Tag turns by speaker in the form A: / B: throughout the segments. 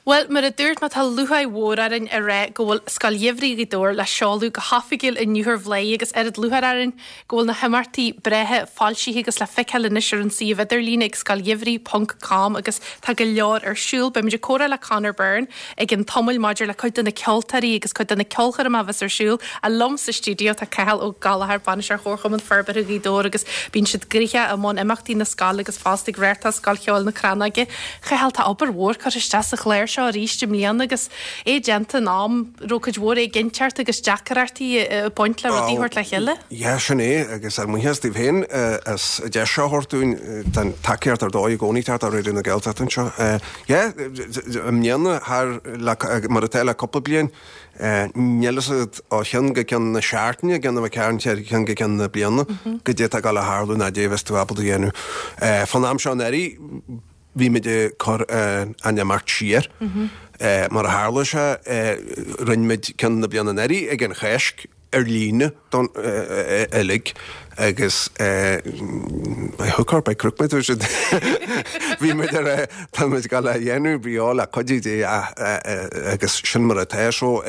A: Bhuel, mar a dúirt mé, tá lúcháir mhór orainn a rá go bhfuil Scoil Gheimhridh Ghaoth Dobhair le seoladh go hoifigiúil inniu ar Bhladhaire agus oiread lúcháir orainn go bhfuil na himeachtaí breátha foilsithe agus le feiceáil anois ar an suíomh idirlíne ag scoilgheimhridh ponc com agus tá go leor ar siúl. Beimid ag comhrá le Conor Byrne i gcionn tamaill maidir le cuid de na ceoltóirí agus cuid de na ceolchoirmeacha a bheas ar siúl. Ach liom sa stiúideo tá Cathal Ó Gallchóir, Bainisteoir Chomharchumann Forbartha Ghaoth Dobhair agus bíonn siad gnoitheach i mbun imeachtaí na scoile agus fosta ag reáchtáil Scoil Cheoil na Crannóige. Chathail, tá obair mhór curtha isteach sa chlár seo arís i mbliana agus é déanta in am a raibh cuid mhór éiginnteacht agus deacrachtaí ag baint le rudaí a thabhairt le chéile.
B: Yeah, sin é, agus ár mbuíochas daoibh féin as an deis seo a thabhairt dúinn, tá an tacaíocht ar dóigh i gcónaí ag teacht ó Raidió na Gaeltachta anseo. Yeah, i mbliana, thar, mar atá le cúpla bliain, níl fhios agat ó cheann go ceann na seachtaine, gan a bheith ag caint ar cheann go ceann na bliana, goidé atá ag dul a tharlú ná goidé a bheas tú ábalta a dhéanamh. Fán am seo anuraidh, bhí muid ag cur an imeacht siar. Mar a tharla sé, rinne muid ceann na bliana anuraidh ag an Cháisc ar líne don uilig agus by hook or by crook mar a deir siad bhí muid ar tá muid ag dul a dhéanamh beo le cuidiú Dé agus sin mar atá so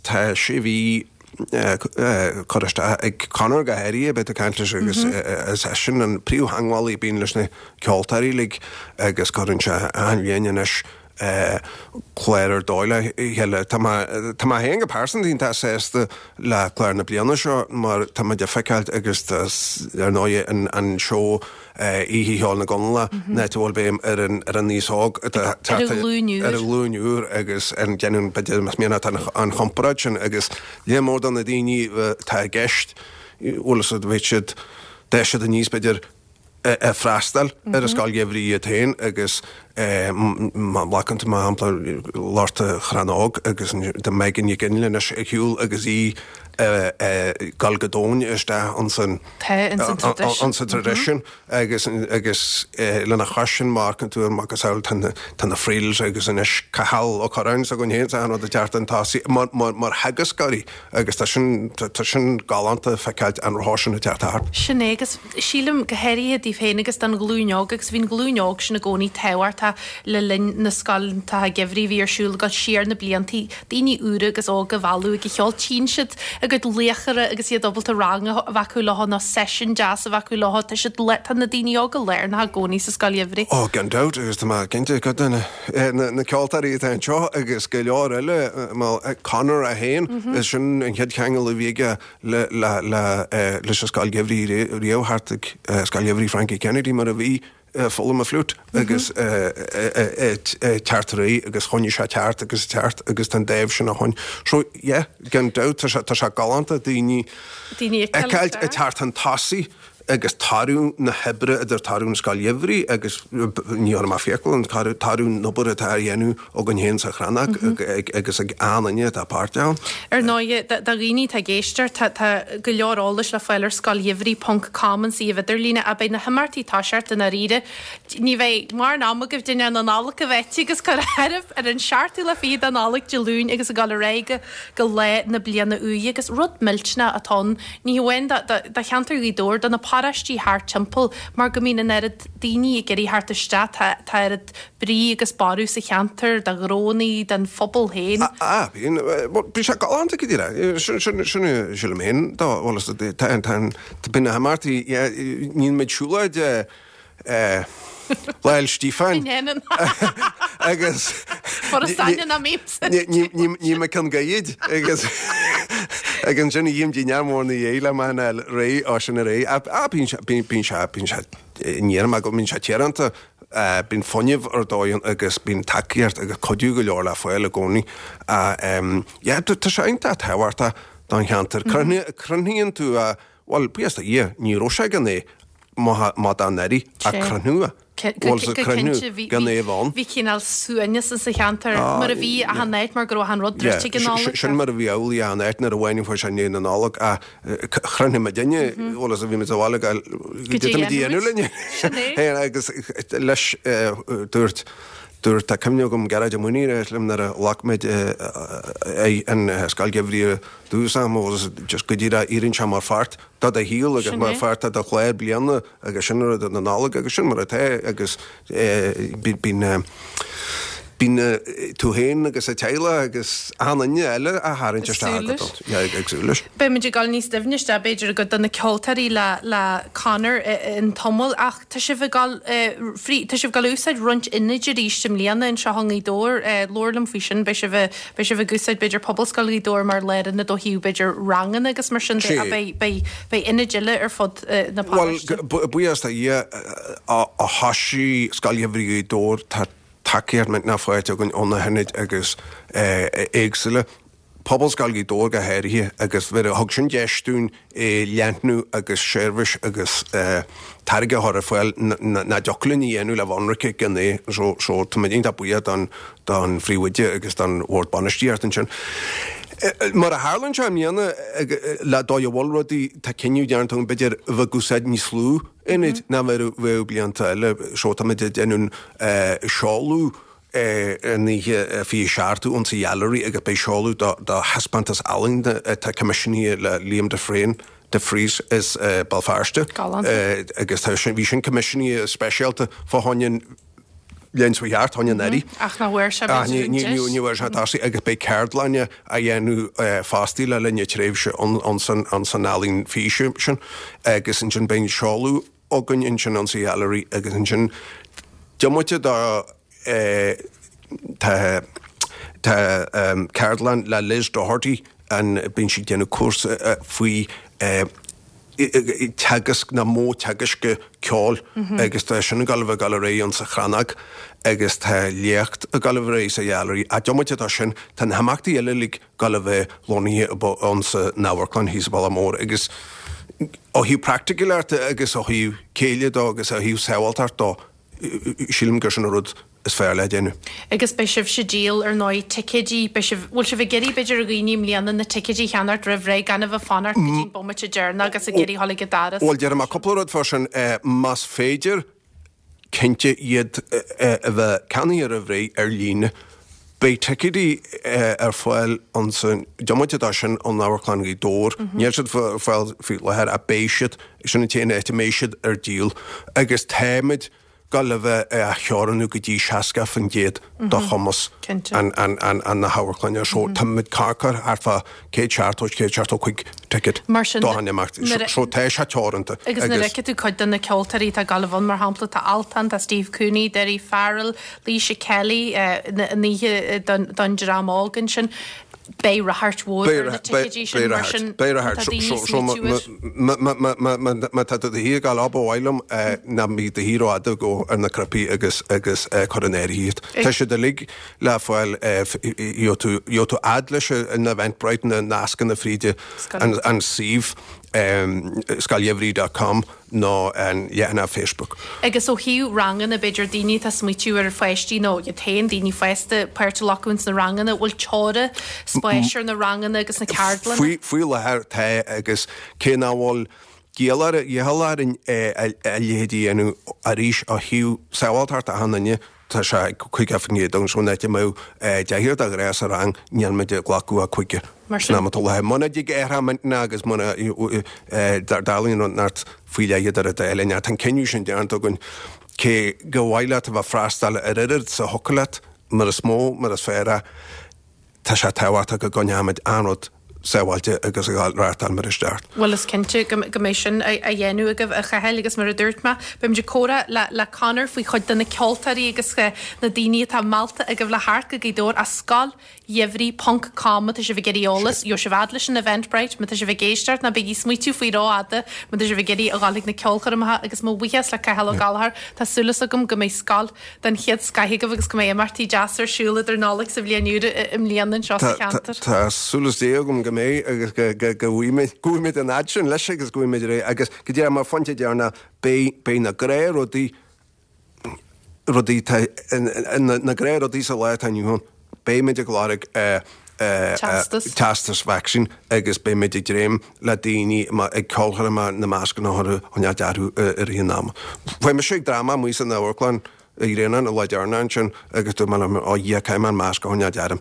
B: tá sé mhí curtha isteach ag Conor go háirithe, beidh tú ag caint leis agus is eisean an príomhtheangmhálaí a bíonn leis na ceoltóirí uilig agus cuireann sé achan bhliain anois clár ar dóigh le chéile. Tá mé tá mé féin go pearsanta iontach sásta le clár na bliana seo mar tá muid ag feiceáilt agus tá ar ndóigh an seó Oíche Cheoil na gConallach, an áit a bhfuil béim ar an ar an aos óg atá ag teacht
A: ar an ghlúin úr.
B: Ar an ghlúin úr agus ar an déanann b'fhéidir más mian leat an chomparáid sin agus léar mór de na daoine atá i gceist, bhfuil fhios agat, bhí siad, d'fhás siad aníos b'fhéidir ag freastal ar an scoil gheimhridh iad féin agus má ghlacann tú mar shampla lucht an Chrannóg agus tá Megan Nic Fhionnghaile anois ar shiúl agus í ag dul go domhain isteach ansan.
A: Tá ins an traidisiún.
B: Ins an traidisiún agus agus lena chois sin má amharcann tú ar macasamhail tá na tá na Friels agus anois Cathal Ó Curráin s'againn féin tá an rud ag teacht chun tosaigh mar mar mar theagascóirí agus tá sin tá sin galánta feiceáilt an rath sin ag teacht thart.
A: Sin é agus sílim go háirithe daoibh féin agus don ghlúin óg agus bhí an ghlúin óg sin i gcónaí tábhachtach le linn na scoileanna geimhridh a bhí ar siúl ag dul siar na bliantaí daoine úra agus óga a mhealladh ag an cheol. Tchíonn siad a gcuid laochra agus iad ábalta rang a bheith acu leo nó seisiún deas a bheith acu leo. Tá siad, tá na daoine óga lárnach i gcónaí sa scoil gheimhridh.
B: Oh, gan dabht, agus tá mé cinnte cuid de na ceoltóirí atá anseo agus go leor eile, Conor é féin, is sin an chéad cheangal a bhí aige le, le, le, leis an scoil gheimhridh riamh thart ag Scoil Gheimhridh Frankie Kennedy mar a bhí. foghlaim an fliúit agus teacht ar aghaidh agus choinnigh sé teacht agus teacht agus tá an dáimh sin ó shoin. So yeah, gan dabht tá sé tá sé galánta daoine
A: Daoine
B: a fheiceáilt ag teacht chun tosaigh agus toradh na hoibre idir toradh an Scoil Gheimhridh agus ní chuirfidh mé fiacail an toradh an obair atá á dhéanamh againn féin sa Chrannóg agus ag achan duine atá páirteach ann.
A: Ar ndóighe, do dhaoine atá ag éisteacht, tá go leor eolais le fáil ar scoilgheimhridh ponc com, an suíomh idirlíne, ach beidh na himeachtaí ag toiseacht i ndáiríre. Ní bheidh mórán ama agaibh dinnéar na Nollag a bheith agus cur áireamh ar an seachtú lá fichead de Nollaig, Dé Luain, agus ag dul ar aghaidh go lá na bliana úire. Agus rud millteanach atá ann, ní hamháin do cheantar Ghaoth Dobhair, do na paróistí thart timpeall, mar go mbíonn an oiread daoine ag iarraidh theacht isteach, tá oiread brí agus borradh sa cheantar, do ghnónnaí, don phobal féin.
B: Ah, bíonn, bhuel, bíonn sé galánta go díreach. Sin, sin, sin a sílim féin dó, bhuel, is, tá, tá, tá, bíonn na himeachtaí, yeah, níl muid siúlóid, eh, Lá Fhéil Stíofáin.
A: Ní dhéanann.
B: Agus.
A: Foras aithne ná mímsa.
B: Ní, ní, ní, ní mé ceann gaidhid agus ag ansin a dhím dinnéar mór na dhéidh le maith an fháil réidh, ó sin ar aghaidh. Ah, ah, bíonn sé, bíonn, bíonn sé, bíonn sé, ní dhéanaim go mbíonn sé tíoránta. Bíonn fuinneamh ar dóigh ann agus bíonn tacaíocht agus cuidiú go leor le fáil i gcónaí. Yeah, tá sé iontach tábhachtach don cheantar. Cruthaíonn tú a, bhuel, buíochas do Dhia, ní raibh sé gan é má dá n-éirí ach cruthú
A: a.
B: Bhuel, sa chruthú gan é a bheith ann.
A: Bhí cineál suaimhneas insa cheantar mar a bhí achan áit mar go raibh achan rud druidte ag an Nollaig.
B: Sin mar a bhí amhlaidh achan áit nuair a bhain fuair sé i ndiaidh na Nollag ach Chruinnigh muid inne, bhuel is a bhí muid sa bhaile go
A: dtí
B: muid a dhéanamh linne.
A: Sin é.
B: Féin agus leis dúirt, dúirt, tá cuimhne agam Gearóid Ó Maonaigh a rá liom nuair a ghlac muid an Scoil Gheimhridh ar dtús am agus just go díreach éiríonn sé mar pháirt de do shaol agus mar pháirt de do chlár bliana agus sin rud na Nollag agus sin mar atá agus bíonn. Bíonn tú féin agus an teaghlach agus achan duine eile á tharraingt isteach agat ag súil leis.
A: Beidh muid ag dul níos doimhne isteach b'fhéidir i gcuid de na ceoltóirí le le Conor i dtamall ach tá sibh ag dul frí tá sibh ag dul a úsáid roinnt ionaid arís i mbliana anseo i nGaoth Dobhair. Labhair liom faoi sin. Beidh sibh beidh sibh ag úsáid b'fhéidir Pobalscoil Ghaoth Dobhair mar lárionad ó thaobh b'fhéidir ranganna agus mar sin de ach beidh beidh beidh ionaid eile ar fud na
B: paróiste. Bhuel buíochas do Dhia ó thosaigh Scoil Gheimhridh Ghaoth Dobhair tá tacaíocht millteanach faighte againn ó na hionaid agus éagsúla, Pobalscoil Ghaoth Dobhair go háirithe, agus thug sin deis dúinn leathnú agus seirbhís agus táirge a chur ar fáil nach dtiocfadh linn a dhéanamh le bheith ionraice gan é. So so táimid iontach buíoch don don phríomhoide agus don bhord bainistíochta ansin. Mar a tharlaíonn sé i mbliana le dóigh a bhfuil rudaí tá cinneadh déanta againn b'fhéidir a bheith ag úsáid níos lú ionaid ná mar a bheadh blianta eile. So táimid ag déanamh seoladh an oíche 27ú insa Gheallery agus beidh seoladh do thaispeántas ealaíne atá coimisiúnaithe le Liam de Freen, de Vries as Béal Feirste.
A: Galánta.
B: Agus tá sin, bhí sin coimisiúnaithe speisialta fá choinne an léim cheart, choinne an Earraigh.
A: Ach nach bhfuair sé b'fhéidir an
B: deis. Ní bhfuair sé tosaigh agus beidh ceardlanna á dhéanamh fostaí le linn na tréimhse ansan ealaín físe sin agus ansin beidh an seoladh againn ansin ansa Gheallery agus ansin diomaite de tá tá ceardlann le Liz Doherty an bíonn sí ag déanamh cúrsa faoi teagasc nó modh teagaisc ceoil agus tá sin ag dul a bheith ag dul ar aghaidh ansa Chrannóg agus tá léacht ag dul a bheith ar aghaidh sa Gheallery. Ach diomaite de sin, tá na himeachtaí eile uilig ag dul a bheith lonnaithe ansa n-amharclann thíos sa Bhaile Mór agus ó thaobh praiticiúlachta agus ó thaobh céille dó agus ó thaobh sábháilteacht dó, Sílim gur sin an rud is fearr le déanamh.
A: Agus beidh sibhse ag díol, ar ndóigh, ticéidí, beidh sibh, bhfuil sibh ag iarraidh, b'fhéidir, ar dhaoine i mbliana na ticéidí a cheannacht roimh ré, gan a bheith ag fanacht go dtí an bomaite deireanach agus ag iarraidh a dhul ag an doras?
B: Bhuel, déarfaidh mé cúpla rud fá sin. Más féidir, cinnte, iad a bheith ceannaithe roimh ré ar líne. Beidh ticéidí ar fáil ansan, diomaite de sin, in Amharclann Ghaoth Dobhair. Níl siad ar fáil faoi láthair ach beidh siad, sin an t-aon áit a mbeidh siad ar díol. Agus táimid ag dul a bheith á theorannú go dtí 60% de chumas na hamharclainne. So táimid ag cur thart fá 170, 175 ticket do an imeacht. So tá sé teoranta.
A: Agus nuair a fheicfidh tú cuid de na ceoltóirí atá ag dul a bheith ann, mar shampla, tá Altan, tá Steve Cooney, Daoirí Farrell, Laoise Kelly, an oíche don dream óg ansin. Beidh ráchairt mhór ar na ticéidí sin mar sin
B: tá daoine ag smaoitiú air. Má tá tú do shuí ag gabháil ba mhaith liom ná bí do shuí rófhada gabh ar na cnaipí agus agus cuir in áirithe iad. Tá siad uilig le fáil gheobhaidh tú gheobhaidh tú fhad leis an Eventbrite na nascanna fríd an suíomh scoilgheimhridh dot com. nó an leathanach Facebook.
A: Agus ó thaobh ranganna, b'fhéidir, daoine atá ag smaoitiú ar pháistí nó iad féin, daoine fásta, páirt a ghlacadh ins na ranganna, bhfuil teora spáis ar na ranganna agus na ceardlanna?
B: Faoi, faoi láthair tá agus cé nach bhfuil giall ar, iachall orainn a leithéid a dhéanamh arís ó thaobh sábháilteacht achan duine, Tá sé ag 50% agus an áit a mbeadh deichniúr de ghnáth sa rang, níl muid ag glacadh ach cúigear.
A: Mar sin.
B: San am atá láthair. Muna dtig athrú intinne agus muna dtarlaíonn rud inteacht faoi leith idir an dá linn, tá an cinneadh sin déanta againn. Cé gur mhaith leat a bheith ag freastal ar oiread is a thiocfadh leat, mar is mó, mar is fearr é, Tá sé tábhachtach go gcoinneoimid an rud sábháilte agus ag reáchtáil mar is ceart.
A: Bhuel, is cinnte go mbeidh sin á dhéanamh agaibh, a Chathail, agus mar a dúirt mé, beimid ag comhrá le Conor faoi chuid de na ceoltóirí agus na daoine atá meallta agaibh le theacht go Gaoth Dobhair as Scoil Gheimhridh ponc com má tá sibh ag iarraidh eolas, gheobhaidh sibh fhad leis an Eventbrite, má tá sibh ag éisteacht, ná bígí ag smaoitiú faoi rófhada má tá sibh ag iarraidh a dhul chuig na ceolchoirmeacha agus mo bhuíochas le Cathal Ó Gallchóir, tá súil agam go mbeidh scoil den chéad scoith agaibh agus go mbeidh imeachtaí deasa ar siúl idir Nollaig 's an Bhliain Úr i mbliana anseo sa cheantar.
B: Tá súil is Dé agam go mbeidh agus go go bhfaighimid an fhad sin leis agus go bhfaighimid ar aghaidh agus go deimhin mar phointe deireanach beidh beidh na gnáthrudaí rudaí tá na gnáthrudaí sa lá atá inniu ann. Beimid ag lorg
A: Teastas.
B: teastas vacsaín agus beimid ag dréim le daoine ag ceolchoirmeacha na mascanna a chur a choinneáil orthu i rith an ama. Bhí mise ag dráma amuigh san amharclann i Ghréanáin an lá deireanach ansin agus dúirt mé liom, ó Dhia, caithfidh mé an masc a choinneáil orm.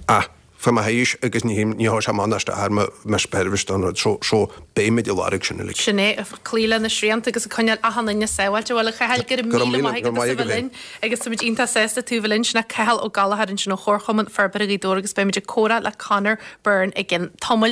B: Ach! Fá mo thaois agus ní ní thabharfaidh sé amach ná isteach ar mo mo sheirbhís don rud so so beimid ag lorg sin uilig.
A: Sin é, ag cloí le na srianta agus ag coinneáil achan duine sábháilte. Bhuel, a Chathail, go raibh míle maith agat as a bheith linn agus táimid iontach sásta tú a bheith linn. Sin é Cathal Ó Gallchóir ansin ó Chomharchumann Forbartha Ghaoth Dobhair agus beimid ag comhrá le Conor Byrne i gcionn tamaill.